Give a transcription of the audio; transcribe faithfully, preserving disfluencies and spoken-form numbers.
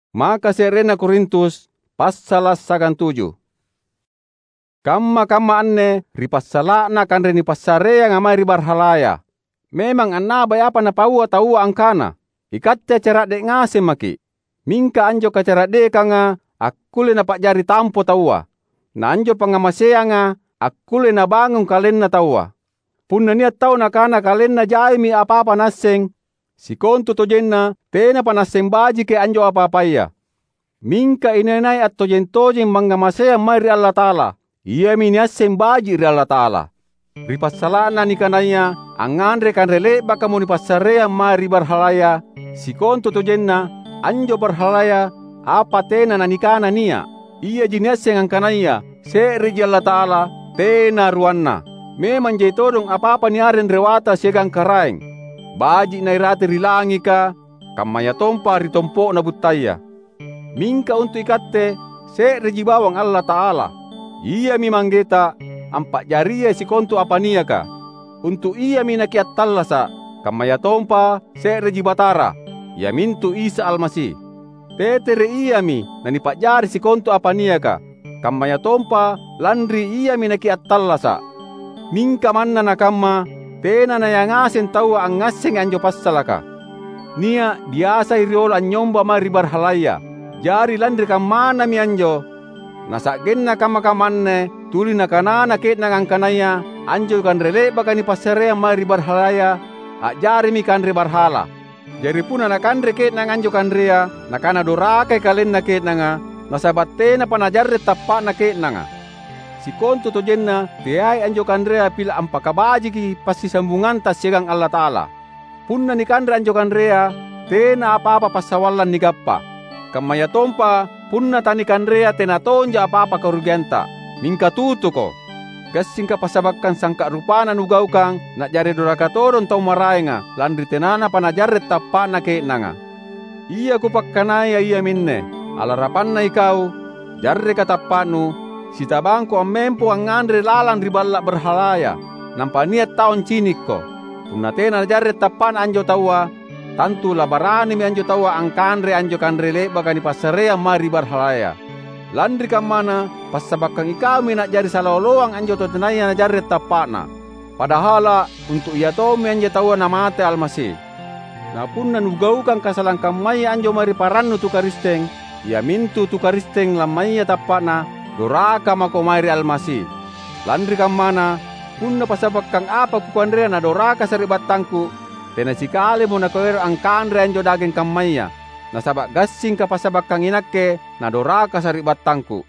Maka se'rena Korintus, passala’ siagang tuju. Kamma-kamma anne ri passala'na kanre nipassareanga mae ri barhalaya. Memang annabai apa napaua taua angkana, "Ikatte acara'de’ ngaseng maki’." Mingka anjo kacara'dekanga akkulle napa'jari tampo taua. Na anjo pangngamaseanga akkulle nabangung kalenna taua. Punna nia’ tau nakana kalenna jaimi apa-apa naasseng, sikontutojenna tenapa naasseng bajiki anjo apa-apaya. Mingka inai-nai attojeng-tojeng mangngamaseang mae ri Allata'ala, iami niasseng baji’ ri Allata'ala. Ri passala'na nikanaya angnganre kanre le'bakamo nipassareang mae ri barhalaya, sikontutojenna anjo barhalaya apa tena nanikana nia’. Iaji niasseng angkanaya se'reji Allata'ala, tena ruanna. Memang jai todong apa-apa niareng rewata siagang karaeng. Baji’ nairate ri langika, kammayatompa ri tompo'na buttaya. Mingka untu’ ikatte, se'reji bawang Allata'ala. Iami Manggeta, ampa'jariai sikontu apa niaka. Untu’ Iami nakiattallasa’, kammayatompa se'reji Batara, iamintu Isa Almasi. Tetere Iami nanipa'jari sikontu apa niaka, kammayatompa lanri Iami nakiattallasa’. Mingka manna nakamma, tena naia ngaseng taua angngassengi anjo passalaka. Nia’ biasai riolo anynyomba mae ri barhalaya. Jari lanri kammanami anjo, nasa'genna kamma-kamma anne tuli nakanana ke'nanga angkanaya anjo kanre le'baka nipassareang mae ri barhalaya a'jarimi kanre barhala. Jari punna nakanre ke'nanga anjo kanrea, nakana dorakai kalenna ke'nanga, nasaba’ tenapa najarre’ tappa'na ke'nanga. Sikontutojenna teai anjo kanrea pila’ ampakabajiki passisambunganta siagang Allata'ala. Punna nikanre anjo kanrea, tena apa-apa passawallang nigappa. Kammayatompa punna tanikanrea tena tonja apa-apa karugianta. Mingka tutuko! Gassingka passabakkang sangka’ rupana nugaukang na'jari doraka todong tau maraenga, lanri tenanapa najarre’ tappa'na ke'nanga. Ia kupakkanaya iaminne: Alarapanna ikau, jarreka tappa'nu, sitabangko ammempo angnganre lalang ri balla’ barhalaya, nampa nia’ tau ancinikko. Punna tena najarre’ tappa'na anjo taua, tantu labaranimi anjo taua angkanre anjo kanre le'baka nipassareang mae ri barhalaya. Lanri kammana, passabakkang ikaumi na'jari sala oloang anjo tau tenaya najarre’ tappa'na. Padahala’ untu’ ia tommi anjo taua namate Almasi. Na punna nugaukang kasalang kammaya anjo mae ri parannu tu Karisteng, iamintu tu Karisteng lammaya tappa'na, doraka mako mae ri Almasi. Lanri kammana, punna passabakkang apa kukanrea nadoraka sari'battangku, tena sikalimo nakuero’ angkanre anjo dageng kammaya, nasaba’ gassingka passabakkang inakke nadoraka sari'battangku.